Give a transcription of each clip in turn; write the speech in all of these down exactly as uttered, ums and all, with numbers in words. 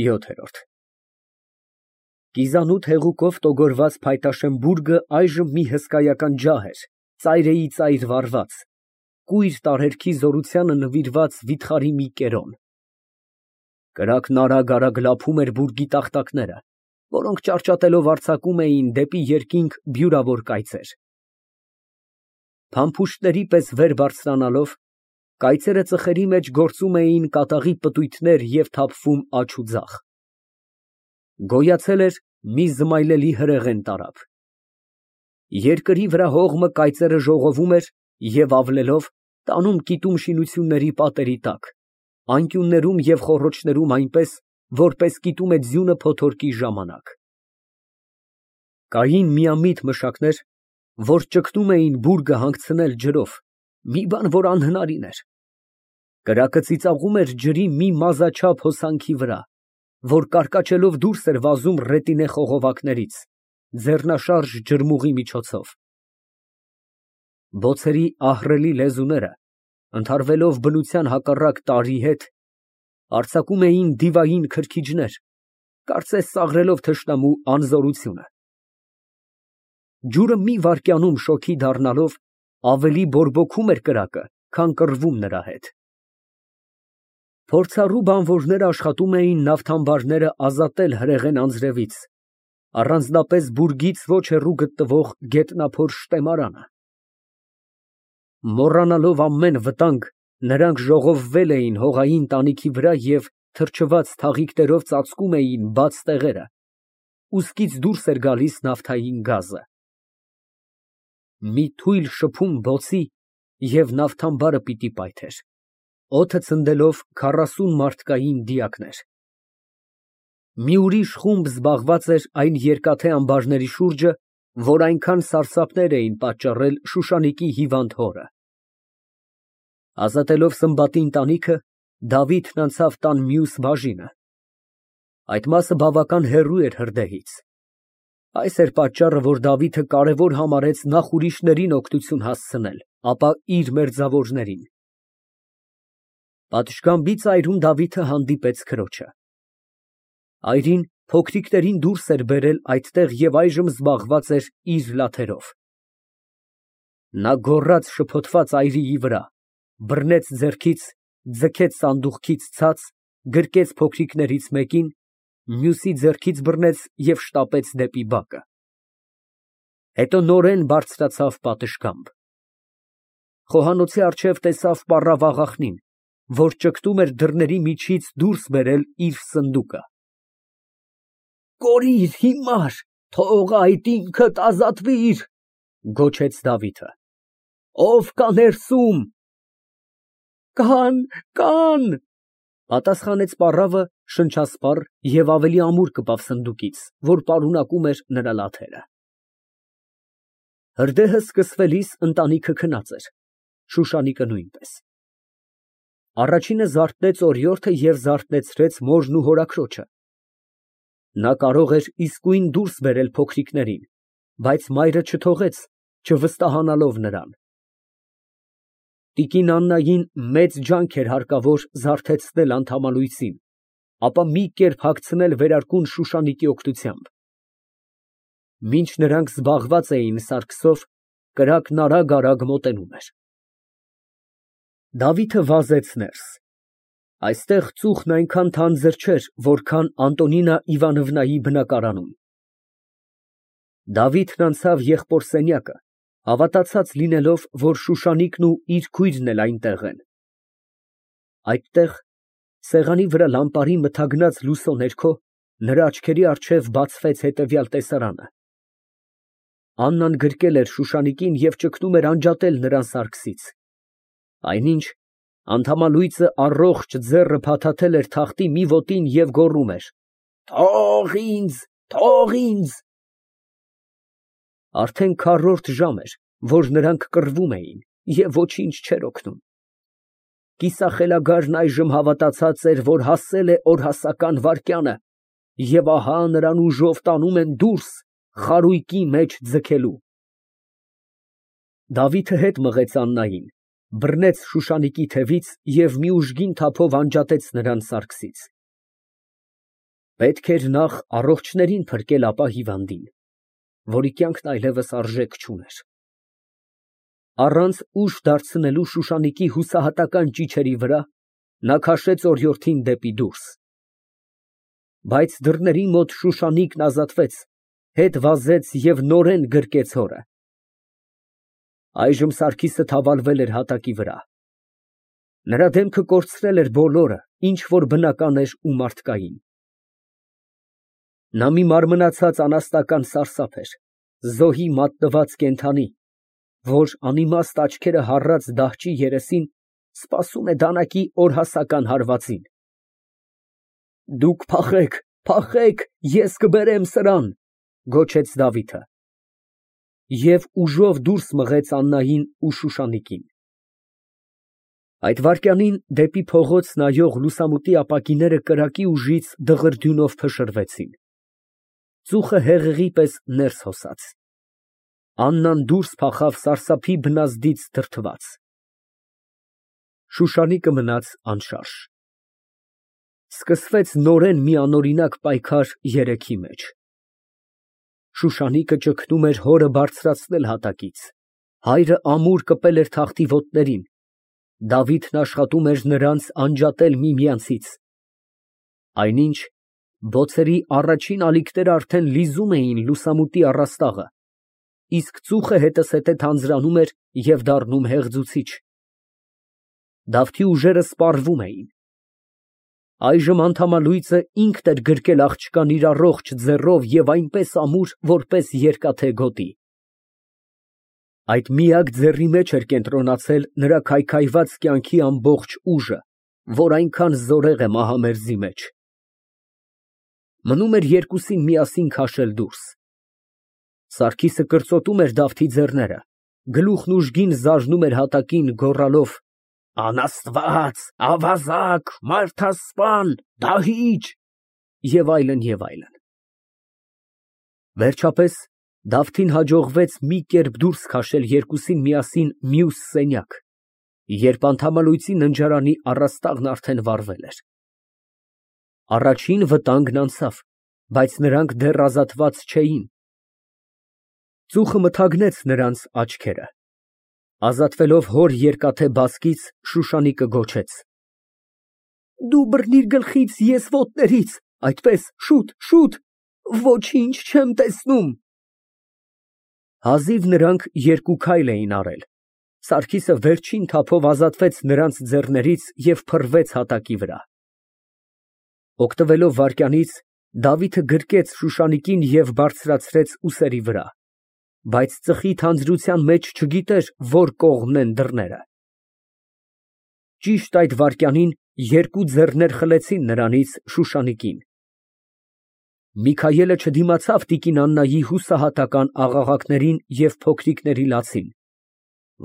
ՅՈԹԵՐՈՐԴ Կիզանութ հեղուկով տոգորված փայտաշեն բուրգը այժմ մի հսկայական ջահ էր, ծայրիծայր վառված, կույր տարերքի զորությանը նվիրված վիթխարի մի կերոն։ Կրակն արագ֊արագ լափում էր բուրգի տախտակները, որոնք ճարճատելով արձակում էին դեպի երկինք բյուրավոր կայծեր։ Փամփուշտների պես վեր բարձրանալով, կայծերը ծխերի մեջ գործում էին կատաղի պտույտներ և թափվում աջ ու ձախ։ Գոյացել էր մի զմայլելի հրեղեն տարափ։ Երկրի վրա հողմը կայծերը ժողովում էր և ավլելով, տանում կիտում շինությունների պատերի տակ, անկյուններում և խոռոչներում այնպես, որպես կիտում է ձյունը փոթորկի ժամանակ։ Կային միամիտ մշակներ, որ ճգնում էին բուրգը հանգցնել ջրով, մի բան, որ անհնարին էր։ Կրակը ծիծաղում էր ջրի մի մազաչափ հոսանքի վրա, որ կարկաչելով դուրս էր վազում ռետինե խողովակներից, ձեռնաշարժ ջրմուղի միջոցով։ Բոցերի ահռելի լեզուները, ընդհարվելով բնության հակառակ տարրի հետ, արձակում էին դիվային քրքիջներ, կարծես ծաղրելով թշնամու անզորությունը։ Ջուրը մի վայրկյանում շոգի դառնալով, ավելի բորբոքում էր կրակը, քան կռվում նրա հետ։ Փորձառու բանվորները աշխատում էին նավթամբարները ազատել հրեղեն անձրևից, առանձնապես բուրգից ոչ հեռու գտնվող գետնափոր շտեմարանը։ Մոռանալով ամեն վտանգ, նրանք ժողովվել էին հողային տանիքի վրա և թրջված թաղիկներով ծածկում էին բաց տեղերը, ուսքից դուրս էր գալիս նավթային գազը։ Մի թույլ շփում բոցի, և նավթամբարը պիտի պայթեր, օդը ցնդելով քառասուն մարդկային դիակներ։ Մի ուրիշ խումբ զբաղված էր այն երկաթե ամբարների շուրջը, որ այնքան սարսափներ էին պատճառել Շուշանիկի հիվանդ հորը։ Ազատելով Սմբատի ընտանիքը, Դավիթն անցավ տան մյուս բաժինը։ Այդ մասը բավական հեռու էր հրդեհից։ Այս էր պատճառը, որ Դավիթը կարևոր համարեց նախ ուրիշներին օգնություն հասցնել, ապա իր մերձավորներին։ Պատշգամբի ծայրում Դավիթը հանդիպեց քրոջը։ Այրին փոքրիկներին դուրս էր բերել այդտեղ և այժմ զբաղված էր իր լաթերով։ Նա գոռաց շփոթված այրիի վրա, բռնեց ձեռքից, ձգեց սանդուղքից ցած, գրկեց փոքրիկներից մեկին, մյուսի ձեռքից բռնեց և շտապեց դեպի բակը։ Հետո նորեն բարձրացավ պատշգամբ։ Խոհանոցի առջև տեսավ պառավ աղախնին, որ ճգտում էր դռների միջից դուրս բերել իր սնդուկը։ «Կորիր, հիմար, թող այդ ինքդ ազատվիր», ֊ գոչեց Դավիթը։ «Ո՞վ կա ներսում»։ «Կան, կան», ֊ պատասխանեց պառավը շնչասպառ և ավելի ամուր կպավ սնդուկից, որ պարունակում էր նրա լաթերը։ Հրդեհը սկսվելիս ընտանիքը քնած էր, Շուշանիկը նույնպես։ Առաջինը զարթնեց օրիորդը և զարթնեցրեց մորն ու հորաքրոջը։ Նա կարող էր իսկույն դուրս բերել փոքրիկներին, բայց մայրը չթողեց, չվստահանալով նրան։ Տիկին Աննային մեծ ջանք էր հարկավոր զարթեցնել անդամալույսին, ապա մի կերպ հագցնել վերարկուն Շուշանիկի օգնությամբ։ Մինչ նրանք զբաղված էին սարքսով, կրակն արագ֊արագ մոտենում էր։ Դավիթը վազեց ներս։ Այստեղ ծուխն այնքան թանձր չէր, որքան Անտոնինա Իվանովնայի բնակարանում։ Դավիթն անցավ եղբոր սենյակը, հավատացած լինելով, որ Շուշանիկն ու իր քույրն էլ այնտեղ են։ Այդտեղ, սեղանի վրա լամպարի մթագնած լուսո ներքո, նրա աչքերի առջև բացվեց հետևյալ տեսարանը. Աննան գրկել էր Շուշանիկին և ճգնում էր անջատել նրան սարքսից, այնինչ անդամալույսը առողջ ձեռը փաթաթել էր թղթի մի ոտին և գոռում էր. «Թող ինձ, թող ինձ»։ Արդեն քառորդ ժամ էր, որ նրանք կռվում էին, և ոչինչ չէր օգնում։ Կիսախելագարն այժմ հավատացած էր, որ հասել է օրհասական վայրկյանը, և ահա նրան ուժով տանում են դուրս, խարույկի մեջ ձգելու։ Դավիթը հետ մղեց Աննային, բռնեց Շուշանիկի թևից և մի ուժգին թափով անջատեց նրան սարքսից։ Պետք էր նախ առողջներին փրկել, ապա հիվանդին, որի կյանքն այլևս արժեք չուներ։ Առանց ուժ դարձնելու Շուշանիկի հուսահատական ճիչերի վրա, նա քաշեց օրիորդին դեպի դուրս։ Բայց դռների մոտ Շուշանիկն ազատվեց, հետ վազեց և նորեն գրկեց հորը։ Այժմ Սարգիսը թավալվել էր հատակի վրա։ Նրա դեմքը կորցրել էր բոլորը, ինչ որ բնական էր ու մարդկային։ Նա մի մարմնացած անասնական սարսափ էր, զոհի մատնված կենդանի, որ անիմաստ աչքերը հառած դահճի երեսին սպասում է դանակի օրհասական հարվածին։ Դուք փախեք, փախեք, ես կբերեմ սրան, գոչեց Դավիթը։ Եվ ուժով դուրս մղեց Աննային ու Շուշանիկին։ Այդ վայրկյանին դեպի փողոց նայող լուսամուտի ապակիները կրակի ուժից դղրդյունով փշրվեցին։ Ծուխը հեղեղի պես ներս հոսաց։ Աննան դուրս փախավ սարսափի բնազդից դրդված։ Շուշանիկը մնաց անշարժ։ Սկսվեց նորեն մի անօրինակ պայքար երեքի մեջ։ Շուշանիկը ճգնում էր հորը բարձրացնել հատակից, հայրը ամուր կպել էր թախտի ոտներին, Դավիթն աշխատում էր նրանց անջատել միմյանցից։ Այնինչ բոցերի առաջին ալիքները արդեն լիզում էին լուսամուտի առաստաղը, իսկ ծուխը հետզհետե թանձրանում էր և դառնում հեղձուցիչ։ Դավթի ուժերը սպառվում էին։ Այժմ անդամալույծը ինքն էր գրկել աղջկան իր առողջ ձեռով և այնպես ամուր, որպես երկաթե գոտի։ Այդ միակ ձեռի մեջ էր կենտրոնացել նրա քայքայված կյանքի ամբողջ ուժը, որ այնքան զորեղ է մահամերձի մեջ։ Մնում էր երկուսին միասին քաշել դուրս։ Սարգիսը կրծոտում էր Դավթի ձեռները, գլուխն ուժգին զարնում էր հատակին, գոռալով. «Անաստված, ավազակ, մարդասպան, դահիճ» և այլն, և այլն։ Վերջապես Դավթին հաջողվեց մի կերպ դուրս քաշել երկուսին միասին մյուս սենյակ, երբ անդամալույծի ննջարանի առաստաղն արդեն վառվել էր։ Առաջին վտանգն անցավ, բայց նրանք դեռ ազատված չէին։ Ծուխը մթագնեց նրանց աչքերը։ Ազատվելով հոր երկաթե բազկից, Շուշանիկը գոչեց. Դու բռնիր գլխից, ես ոտներից, այդպես, շուտ, շուտ, ոչինչ չեմ տեսնում։ Հազիվ նրանք երկու քայլ էին արել, Սարգիսը վերջին թափով ազատվեց նրանց ձեռներից և փռվեց հատակի վրա։ Օգտվելով վայրկյանից, Դավիթը գրկեց Շուշանիկին և բարձրացրեց ուսերի վրա, բայց ծխի թանձրության մեջ չգիտեր, որ կողմն են դռները։ Ճիշտ այդ վայրկյանին երկու ձեռներ խլեցին նրանից Շուշանիկին։ Միքայելը չդիմացավ տիկին Աննայի հուսահատական աղաղակներին և փոքրիկների լացին,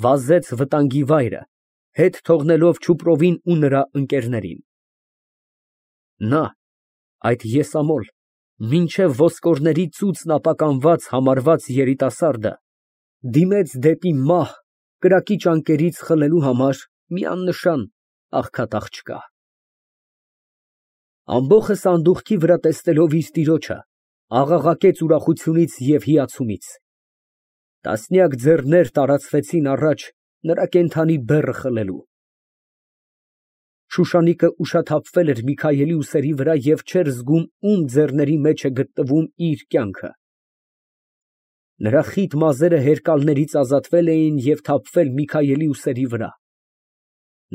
վազեց վտանգի վայրը, հետ թողնելով Չուպրովին ու նրա ընկերներին։ Նա, այդ եսամոլ, մինչև ոսկորների ծուծն ապականված համարված երիտասարդը, դիմեց դեպի մահ կրակի ճանկերից խլելու համար մի աննշան աղքատ աղջկա։ Ամբոխը սանդուղքի վրա տեսնելով իր տիրոջը, աղաղակեց ուրախությունից և հիացումից։ Տասնյակ ձեռներ տարածվեցին առաջ նրա կենդանի բեռը խլելու։ Շուշանիկը ուշաթափվել էր Միքայելի ուսերի վրա և չէր զգում ում ձեռների մեջ է գտնվում իր կյանքը։ Նրա խիտ մազերը հերկալներից ազատվել էին և թափվել Միքայելի ուսերի վրա։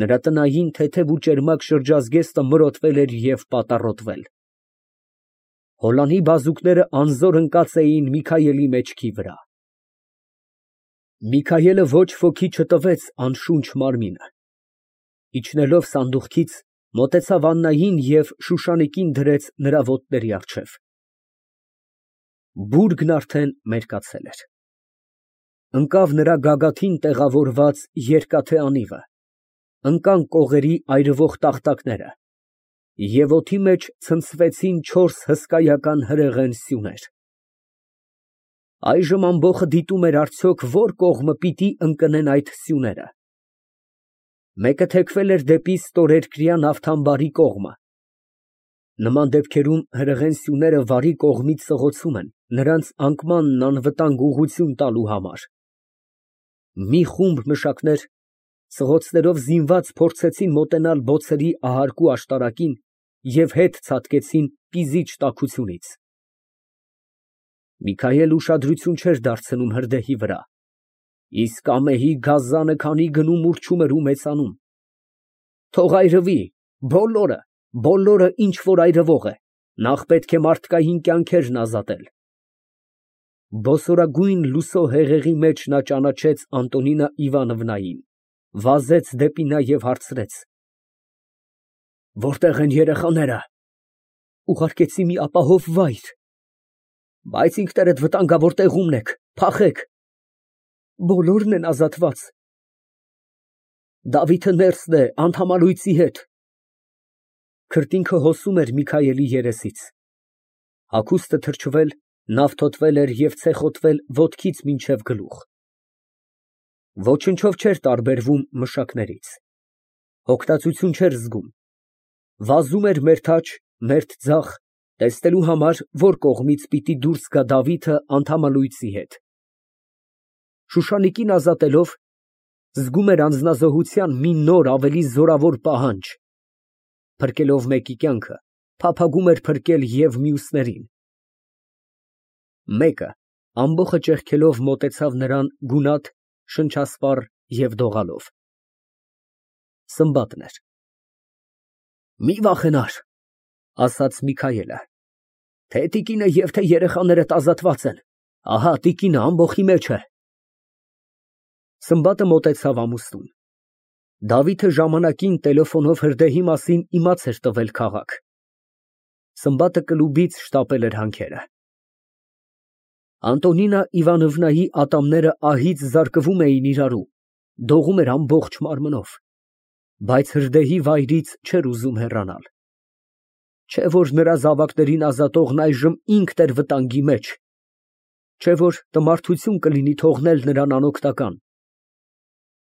Նրա տնային թեթև ու ճերմակ շրջազգեստը մրոտվել էր և պատառոտվել։ Հոլանի բազուկները անզոր ընկած էին Միքայելի մեջքի վրա։ Միքայելը ոչ ոքի չտվեց անշունչ մարմինը։ Իջնելով սանդուղքից, մոտեցավ Աննային և Շուշանիկին դրեց նրա ոտների առջև։ Բուրգն արդեն մերկացել էր։ Ընկավ նրա գագաթին տեղավորված երկաթե անիվը, ընկան կողերի այրվող տախտակները, և օդի մեջ ցնցվեցին չորս հսկայական հրեղեն սյուներ։ Այժմ ամբոխը դիտում էր արդյոք որ կողմը պիտի ընկնեն այդ սյուները։ Մեկը թեքվել էր դեպի ստորերկրյա Նավթամբարի կողմը, Նման դեպքերում հրեղեն սյուները վարի կողմից սղոցում են, նրանց անկմանն անվտանգ ուղղություն տալու համար։ Մի խումբ մշակներ սղոցներով զինված փորձեցին մոտենալ բոցերի ահարկու աշտարակին և հետ ցատկեցին կիզիչ տաքությունից։ Միքայել ուշադրություն չէր դարձնում հրդեհի վրա, իսկ ամեհի գազանը քանի գնում ուռչում էր ու մեծանում։ Թող այրվի, բոլորը, բոլորը, ինչ որ այրվող է, նախ պետք է մարդկային կյանքերն ազատել։ Բոսորագույն լուսո հեղեղի մեջ նա ճանաչեց Անտոնինա Իվանովնային, վազեց դեպի նա և հարցրեց. Որտե՞ղ են երեխաները։ Ուղարկեցի մի ապահով վայր։ Բայց ինքներդ վտանգավոր տեղումն եք, փախեք։ Բոլորն են ազատված։ Դավիթը ներսն է Անթամալույցի հետ։ Քրտինքը հոսում էր Միքայելի երեսից։ Հագուստը թրջվել, նավթոտվել էր և ցեխոտվել ոտքից մինչև գլուխ։ Ոչնչով չէր տարբերվում մշակներից։ Հոգտածություն չէր զգում։ Վազում էր մերթաջ, մերթ ձախ, տեսնելու համար, որ կողմից պիտի դուրս գա Դավիթը Անթամալույցի հետ։ Շուշանիկին ազատելով, զգում էր անձնազոհության մի նոր, ավելի զորավոր պահանջ։ Փրկելով մեկի կյանքը, փափագում էր փրկել և մյուսներին։ Մեկը, ամբոխը ճեղքելով, մոտեցավ նրան գունատ, շնչասպառ և դողալով։ Սմբատն էր։ Մի վախենար, ասաց Միքայելը, թե տիկինը և թե երեխաներդ ազատված են, ահա տիկինը ամբոխի մեջ է։ Սմբատը մոտեցավ ամուսնուն։ Դավիթը ժամանակին տելեֆոնով հրդեհի մասին իմաց էր տվել քաղաք։ Սմբատը կլուբից շտապել էր հանքերը։ Անտոնինա Իվանովնայի ատամները ահից զարկվում էին իրարու, դողում էր ամբողջ մարմնով, բայց հրդեհի վայրից չէր ուզում հեռանալ։ Չէ որ նրա զավակներին ազատողն այժմ ինքն էր վտանգի մեջ, չէ որ տմարդություն կլինի թողնել նրան անօգնական։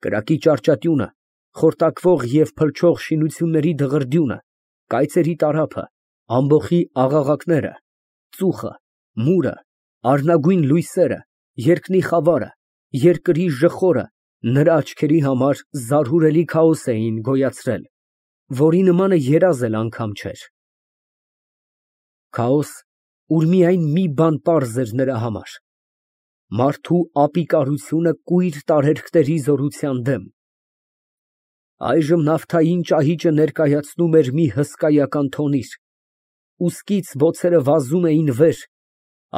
Կրակի ճարճատյունը, խորտակվող և փլչող շինությունների դղրդյունը, կայծերի տարափը, ամբոխի աղաղակները, ծուխը, մուրը, առնագույն լույսերը, երկնի խավարը, երկրի ժխորը նրա աչքերի համար զարհուրելի քաոս էին գոյացրել, որի նմանը երազ էլ անգամ չէր։ Քաոս, ուր միայն մի բան պարզ էր նրա համար. մարդու ապիկարությունը կույր տարերքների զորության դեմ։ Այժմ նավթային ճահիճը ներկայացնում էր մի հսկայական թոնիր, ուսկից բոցերը վազում էին վեր,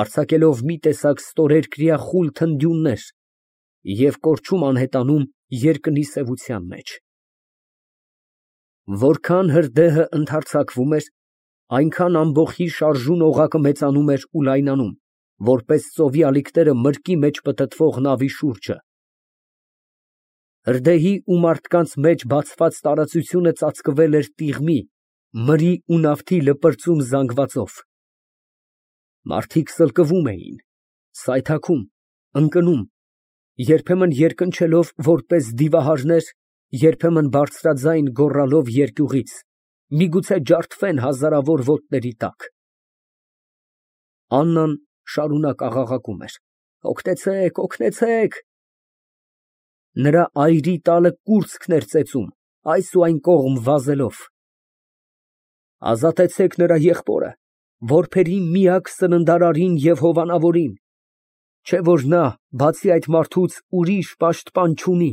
արձակելով մի տեսակ ստորերկրյա խուլ թնդյուններ և կորչում անհետանում երկնի սևության մեջ։ Որքան հրդեհը ընդարձակվում էր, այնքան ամբոխի շարժուն օղակը մեծանում էր ու լայնանում, որպես ծովի ալիքները մրկի մեջ պտտվող նավի շուրջը։ Հրդեհի ու մարդկանց մեջ բացված տարածությունը ծածկվել էր տիղմի, մրի ու նավթի լպրծուն զանգվածով։ Մարդիկ սլկվում էին, սայթաքում, ընկնում, երբեմն երկնչելով որպես դիվահարներ, երբեմն բարձրաձայն գոռալով երկյուղից, միգուցե ջարդվեն հազարավոր ոտների տակ։ Աննան շարունակ աղաղակում էր. «Օգնեցե՛ք, օգնեցե՛ք»։ Նրա այրի տալը կուրծքն էր ծեծում, այս ու այն կողմ վազելով։ Ազատեցեք նրա եղբորը, որբերի միակ սննդարարին և հովանավորին, չէ որ նա, բացի այդ մարդուց, ուրիշ պաշտպան չունի։